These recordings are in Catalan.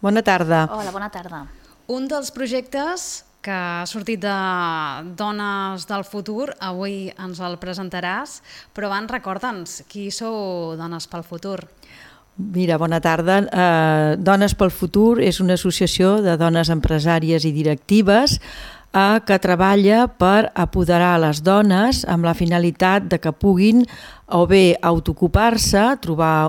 Bona tarda. Hola, bona tarda. Un dels projectes que ha sortit de Dones del Futur, avui ens el presentaràs, però abans recorda'ns, qui sou Dones pel Futur? Mira, bona tarda. Dones pel Futur és una associació de dones empresàries i directives que treballa per apoderar les dones amb la finalitat de que puguin o bé autoocupar-se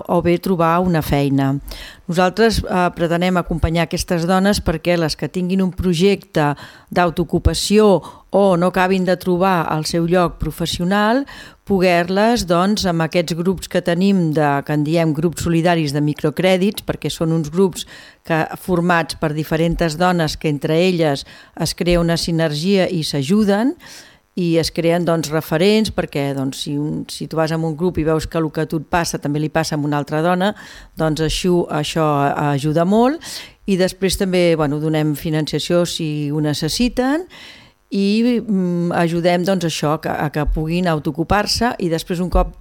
o bé trobar una feina. Nosaltres pretenem acompanyar aquestes dones perquè les que tinguin un projecte d'autoocupació o no acabin de trobar el seu lloc professional, poder-les, doncs, amb aquests grups que tenim, que en diem grups solidaris de microcrèdits, perquè són uns grups formats per diferents dones que entre elles es crea una sinergia i s'ajuden, i es creen referents perquè si tu vas a un grup i veus que el que a tu et passa també li passa a una altra dona, doncs això ajuda molt. I després també donem financiació si ho necessiten i ajudem a que puguin autoocupar-se, i després un cop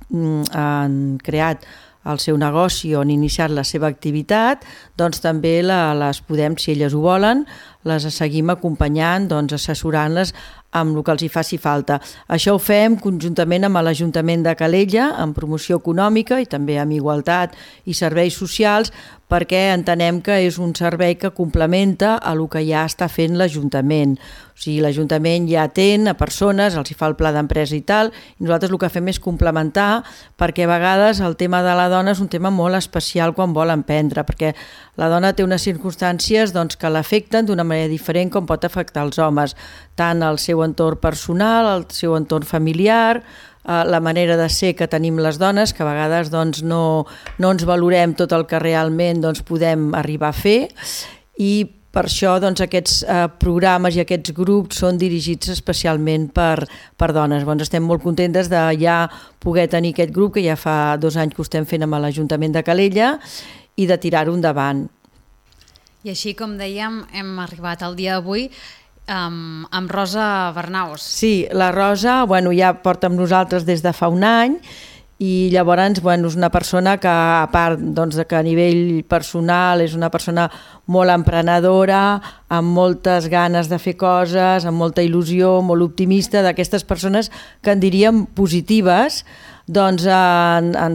han creat el seu negoci o han iniciat la seva activitat, doncs també les podem, si elles ho volen, les seguim acompanyant, assessorant-les amb el que els hi faci falta. Això ho fem conjuntament amb l'Ajuntament de Calella, amb promoció econòmica i també amb igualtat i serveis socials, perquè entenem que és un servei que complementa a el que ja està fent l'Ajuntament. O sigui, l'Ajuntament ja atén a persones, els hi fa el pla d'empresa i tal, i nosaltres el que fem és complementar, perquè a vegades el tema de la dona és un tema molt especial quan vol emprendre, perquè la dona té unes circumstàncies que l'afecten d'una manera diferent com pot afectar els homes, tant el seu entorn personal, el seu entorn familiar, la manera de ser que tenim les dones, que a vegades no ens valorem tot el que realment podem arribar a fer, i per això aquests programes i aquests grups són dirigits especialment per dones. Estem molt contentes de ja poder tenir aquest grup, que ja fa 2 anys que ho estem fent amb l'Ajuntament de Calella, i de tirar-ho endavant. I així, com dèiem, hem arribat al dia d'avui amb Rosa Bernaus. Sí, la Rosa ja porta amb nosaltres des de fa un any, i llavors és una persona que, a part que a nivell personal és una persona molt emprenedora, amb moltes ganes de fer coses, amb molta il·lusió, molt optimista, d'aquestes persones que en diríem positives, ens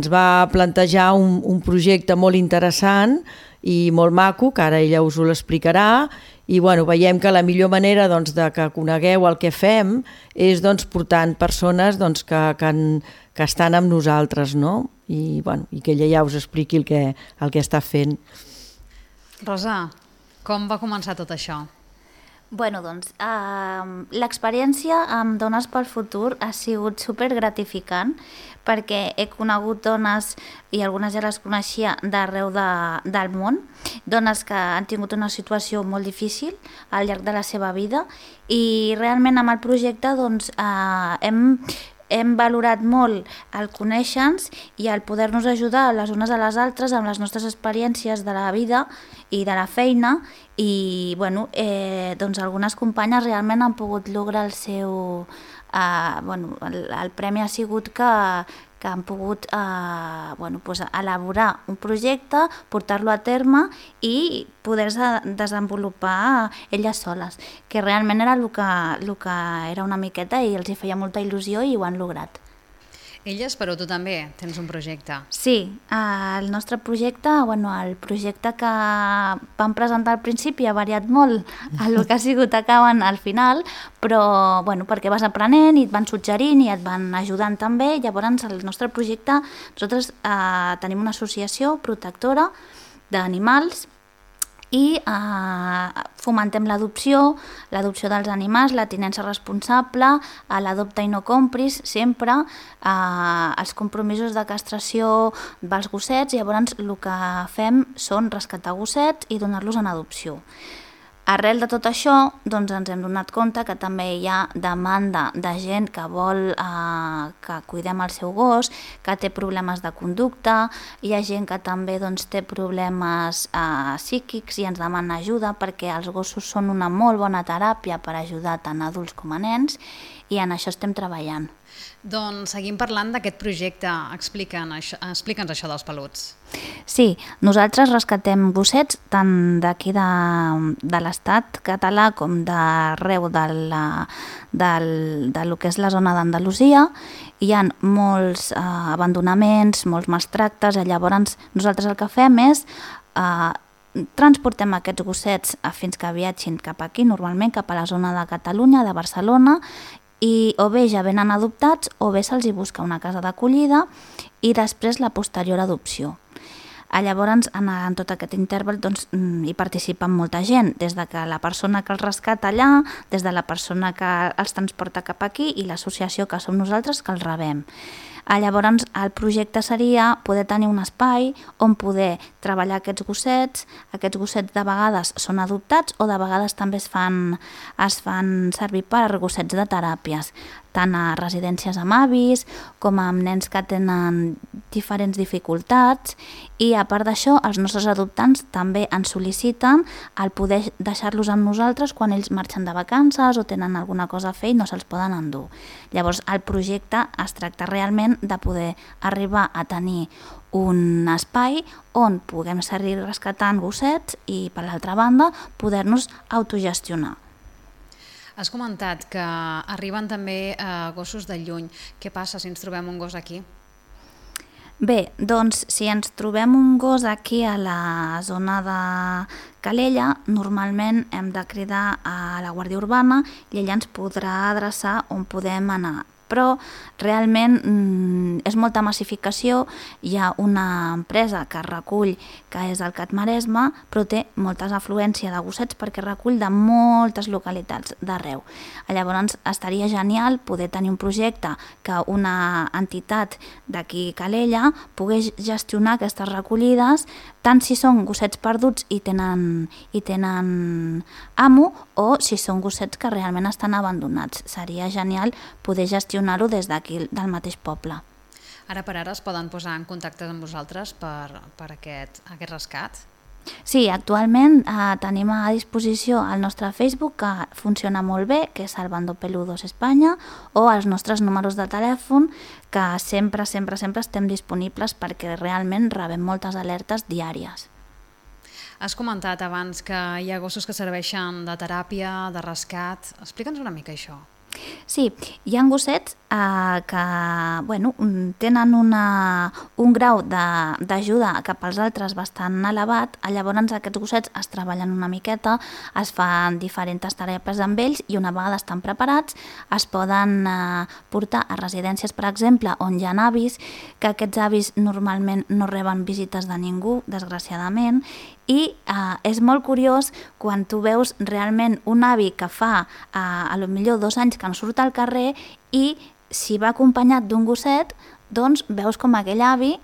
va plantejar un projecte molt interessant i molt maco, que ara ella us ho l'explicarà, i veiem que la millor manera de que conegueu el que fem és portant persones que estan amb nosaltres, no? I que ella ja us expliqui el que està fent. Rosa, com va començar tot això? L'experiència amb Dones pel Futur ha sigut supergratificant, perquè he conegut dones, i algunes ja les coneixia, d'arreu del món, dones que han tingut una situació molt difícil al llarg de la seva vida, i realment amb el projecte hem valorat molt el conèixer-nos i el poder-nos ajudar les unes a les altres amb les nostres experiències de la vida i de la feina, i algunes companyes realment han pogut lograr el seu... el premi ha sigut que han pogut elaborar un projecte, portar-lo a terme i poder-se desenvolupar elles soles, que realment era el que era una miqueta, i els hi feia molta il·lusió i ho han lograt. Elles, però tu també tens un projecte. Sí, el nostre projecte, el projecte que vam presentar al principi ha variat molt el que ha sigut acabant al final, però perquè vas aprenent i et van suggerint i et van ajudant també. Llavors el nostre projecte, nosaltres tenim una associació protectora d'animals i fomentem l'adopció dels animals, la tinença responsable, l'adopta i no compris, sempre, els compromisos de castració dels gossets. Llavors el que fem són rescatar gossets i donar-los en adopció. Arrel de tot això, ens hem donat compte que també hi ha demanda de gent que vol que cuidem el seu gos, que té problemes de conducta, hi ha gent que també té problemes psíquics i ens demana ajuda, perquè els gossos són una molt bona teràpia per ajudar tant adults com a nens, i en això estem treballant. Doncs seguim parlant d'aquest projecte. Explica'ns això dels peluts. Sí, nosaltres rescatem gossets tant d'aquí de l'estat català com d'arreu de lo que és la zona d'Andalusia. Hi ha molts abandonaments, molts maltractes, i llavors nosaltres el que fem és transportem aquests gossets fins que viatgin cap aquí, normalment cap a la zona de Catalunya, de Barcelona, i o bé ja venen adoptats o bé se'ls hi busca una casa d'acollida i després la posterior adopció. Llavors, en tot aquest interval hi participa molta gent, des de que la persona que els rescata allà, des de la persona que els transporta cap aquí i l'associació que som nosaltres que els rebem. Llavors, el projecte seria poder tenir un espai on poder treballar aquests gossets. Aquests gossets de vegades són adoptats o de vegades també es fan servir per gossets de teràpies, tant a residències amb avis com amb nens que tenen diferents dificultats, i a part d'això els nostres adoptants també ens sol·liciten el poder deixar-los amb nosaltres quan ells marxen de vacances o tenen alguna cosa a fer i no se'ls poden endur. Llavors el projecte es tracta realment de poder arribar a tenir un espai on puguem seguir rescatant gossets i, per l'altra banda, poder-nos autogestionar. Has comentat que arriben també gossos de lluny. Què passa si ens trobem un gos aquí? Bé, doncs si ens trobem un gos aquí a la zona de Calella, normalment hem de cridar a la Guàrdia Urbana i ella ens podrà adreçar on podem anar. Però realment és molta massificació, hi ha una empresa que recull, que és el CAT Maresme, però té molta afluència de gossets perquè recull de moltes localitats d'arreu. Llavors estaria genial poder tenir un projecte que una entitat d'aquí Calella pogués gestionar aquestes recollides, tant si són gossets perduts i tenen amo o si són gossets que realment estan abandonats. Seria genial poder gestionar-ho des d'aquí, del mateix poble. Ara per ara es poden posar en contacte amb vosaltres per aquest rescat? Sí, actualment tenim a disposició el nostre Facebook, que funciona molt bé, que és Salvando Peludos Espanya, o els nostres números de telèfon, que sempre estem disponibles perquè realment rebem moltes alertes diàries. Has comentat abans que hi ha gossos que serveixen de teràpia, de rescat. Explica'ns una mica això. Sí, hi ha gossets que tenen un grau d'ajuda cap als altres bastant elevat. Llavors aquests gossets es treballen una miqueta, es fan diferents teràpies amb ells i una vegada estan preparats es poden portar a residències, per exemple, on hi ha avis, que aquests avis normalment no reben visites de ningú, desgraciadament, i és molt curiós quan tu veus realment un avi que fa potser 2 anys que no surt al carrer i si va acompanyat d'un gosset, doncs veus com aquell avi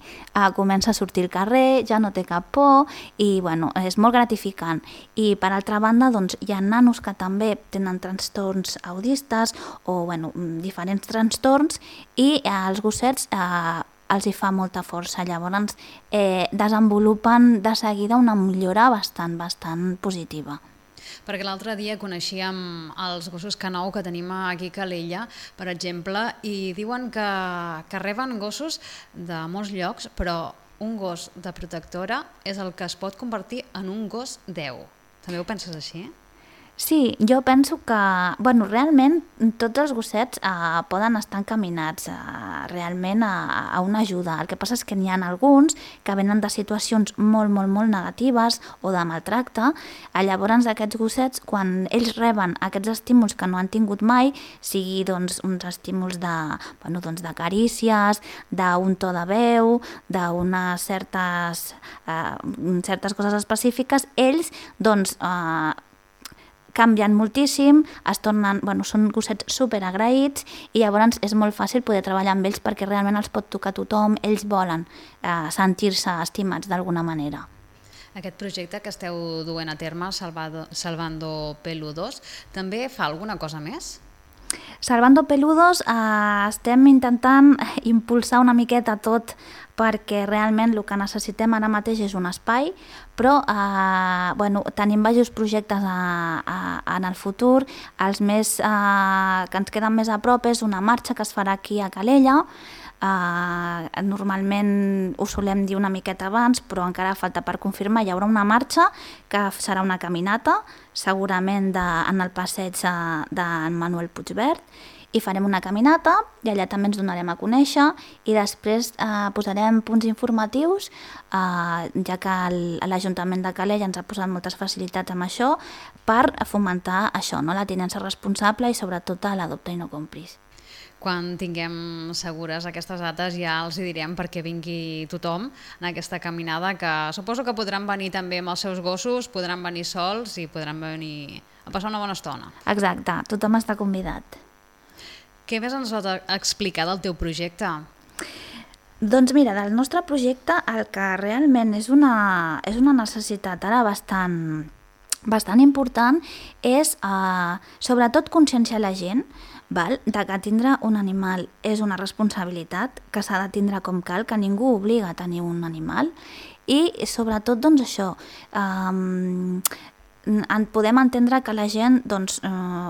comença a sortir al carrer, ja no té cap por i és molt gratificant. I per altra banda hi ha nanos que també tenen trastorns autistes o diferents trastorns i els gossets els hi fa molta força. Llavors desenvolupen de seguida una millora bastant positiva. Perquè l'altre dia coneixíem els gossos Canou que tenim aquí a Calella, per exemple, i diuen que reben gossos de molts llocs, però un gos de protectora és el que es pot convertir en un gos 10. També ho penses així? Sí, jo penso que realment tots els gossets poden estar encaminats realment a una ajuda. El que passa és que n'hi ha alguns que venen de situacions molt negatives o de maltracte. Llavors aquests gossets, quan ells reben aquests estímuls que no han tingut mai, sigui uns estímuls de carícies, d'un to de veu, d'unes certes coses específiques, ells canvien moltíssim, són gossets superagraïts i llavors és molt fàcil poder treballar amb ells perquè realment els pot tocar tothom, ells volen sentir-se estimats d'alguna manera. Aquest projecte que esteu duent a terme, Salvando Peludos, també fa alguna cosa més? Salvando Peludos estem intentant impulsar una miqueta tot perquè realment el que necessitem ara mateix és un espai, però tenim diversos projectes en el futur. Els més que ens queden més a prop és una marxa que es farà aquí a Calella. Normalment ho solem dir una miqueta abans, però encara falta per confirmar. Hi haurà una marxa que serà una caminata, segurament en el passeig d'en Manuel Puigverd, i farem una caminata i allà també ens donarem a conèixer i després posarem punts informatius, ja que l'Ajuntament de Calella ens ha posat moltes facilitats amb això per fomentar això, no? La tinença responsable i sobretot l'adopta i no compris. Quan tinguem segures aquestes dates ja els hi direm perquè vingui tothom en aquesta caminada, que suposo que podran venir també amb els seus gossos, podran venir sols i podran venir a passar una bona estona. Exacte, tothom està convidat. Què més ens pot explicar del teu projecte? Doncs mira, del nostre projecte el que realment és una necessitat ara bastant important és sobretot conscienciar la gent de que tindre un animal és una responsabilitat, que s'ha de tindre com cal, que ningú obliga a tenir un animal i sobretot doncs això, podem entendre que la gent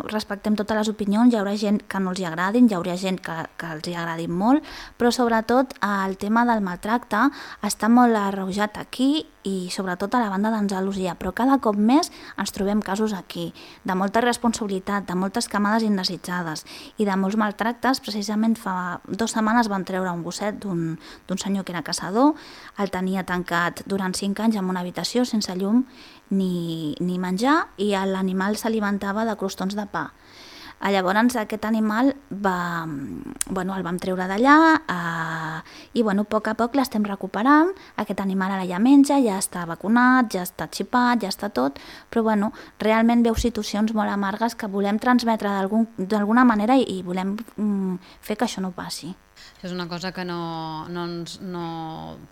respectem totes les opinions, hi haurà gent que no els hi agradin, hi haurà gent que els hi agradin molt, però sobretot el tema del maltracte està molt arreujat aquí i sobretot a la banda d'Andalusia, però cada cop més ens trobem casos aquí, de molta responsabilitat, de moltes camades indesitjades i de molts maltractes. Precisament fa 2 setmanes van treure un gosset d'un senyor que era caçador, el tenia tancat durant 5 anys en una habitació sense llum ni menjar i l'animal s'alimentava de crostons de pa. Llavors aquest animal el vam treure d'allà i a poc a poc l'estem recuperant. Aquest animal ara ja menja, ja està vacunat, ja està xipat, ja està tot, però realment veu situacions molt amargues que volem transmetre d'alguna manera i volem fer que això no passi. És una cosa que no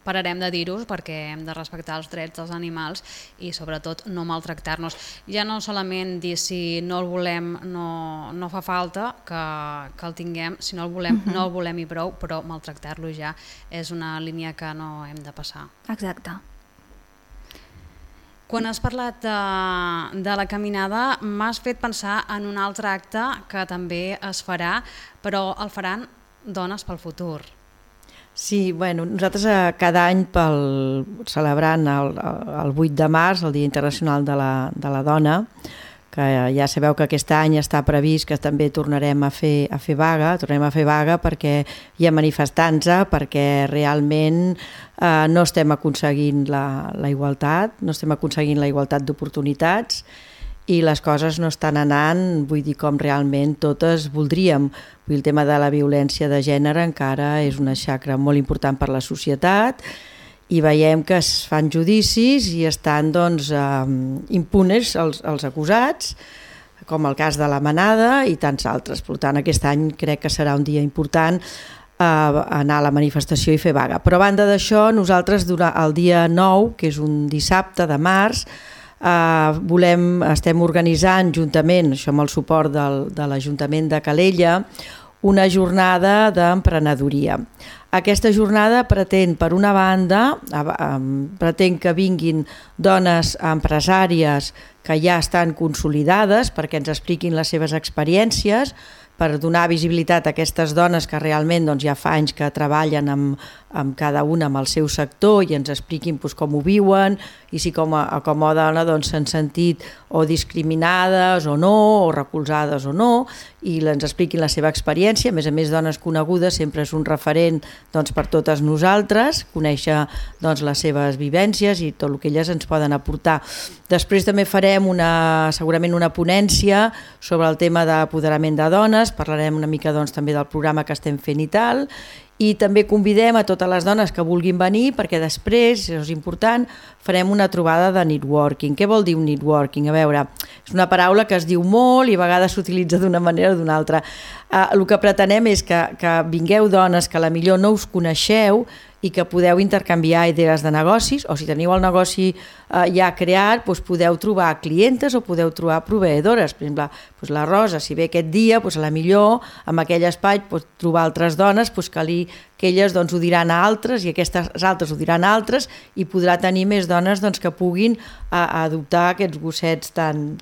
pararem de dir-ho perquè hem de respectar els drets dels animals i sobretot no maltractar-nos. Ja no solament dir si no el volem no fa falta que el tinguem, si no el volem no el volem i prou, però maltractar-lo ja és una línia que no hem de passar. Exacte. Quan has parlat de la caminada m'has fet pensar en un altre acte que també es farà, però el faran Dones pel Futur. Sí, nosaltres cada any celebrant el 8 de març, el Dia Internacional de la Dona, que ja sabeu que aquest any està previst que també tornarem a fer vaga, perquè hi ha manifestants, perquè realment no estem aconseguint la igualtat, no estem aconseguint la igualtat d'oportunitats i les coses no estan anant, vull dir, com realment totes voldríem. El tema de la violència de gènere encara és una xacra molt important per la societat i veiem que es fan judicis i estan impunes els acusats, com el cas de la Manada i tants altres. Per tant, aquest any crec que serà un dia important anar a la manifestació i fer vaga. Però a banda d'això, nosaltres el dia 9, que és un dissabte de març, estem organitzant juntament, això amb el suport de l'Ajuntament de Calella, una jornada d'emprenedoria. Aquesta jornada pretén, per una banda, que vinguin dones empresàries que ja estan consolidades perquè ens expliquin les seves experiències, per donar visibilitat a aquestes dones que realment ja fa anys que treballen amb cada una amb el seu sector i ens expliquin com ho viuen i si com a dona s'han sentit o discriminades o no, o recolzades o no, i ens expliquin la seva experiència. A més, dones conegudes sempre és un referent per totes nosaltres, conèixer les seves vivències i tot el que elles ens poden aportar. Després també farem segurament una ponència sobre el tema d'apoderament de dones, parlarem una mica també del programa que estem fent i tal, i també convidem a totes les dones que vulguin venir perquè després, això és important, farem una trobada de networking. Què vol dir un networking? A veure, és una paraula que es diu molt i a vegades s'utilitza d'una manera o d'una altra. El que pretenem és que vingueu dones que a la millor no us coneixeu i que podeu intercanviar idees de negocis, o si teniu el negoci ja creat, doncs podeu trobar clientes o podeu trobar proveïdores. Per exemple, doncs la Rosa, si ve aquest dia, doncs a la millor en aquell espai pot trobar altres dones doncs que elles doncs, ho diran a altres i aquestes altres ho diran a altres i podrà tenir més dones doncs, que puguin adoptar aquests gossets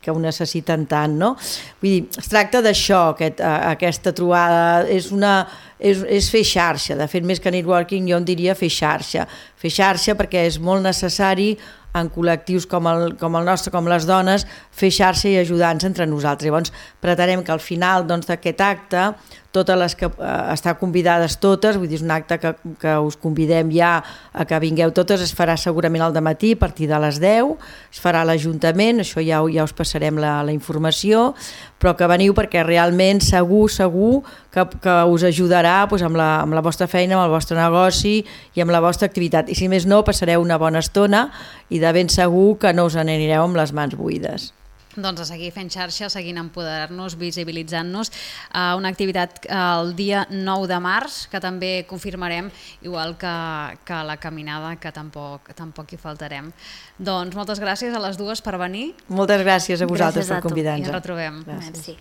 que ho necessiten tant. No? Vull dir, es tracta d'això, aquesta trobada, és fer xarxa. De fet, més que networking jo en diria fer xarxa perquè és molt necessari en col·lectius com el nostre, com les dones, fer xarxa i ajudar-nos entre nosaltres. Llavors, pretenem que al final d'aquest acte, totes les que estan convidades totes, vull dir, és un acte que us convidem ja a que vingueu totes, es farà segurament al dematí a partir de les 10, es farà a l'Ajuntament, això ja us passarem la informació, però que veniu perquè realment segur que us ajudarà doncs, amb la vostra feina, amb el vostre negoci i amb la vostra activitat. I si més no, passareu una bona estona i de ben segur que no us n'anireu amb les mans buides. Doncs a seguir fent xarxa, seguint empoderar-nos, visibilitzant-nos. Una activitat el dia 9 de març, que també confirmarem, igual que la caminada, que tampoc hi faltarem. Doncs moltes gràcies a les dues per venir. Moltes gràcies a vosaltres per convidar-nos. I ens retrobem. Merci.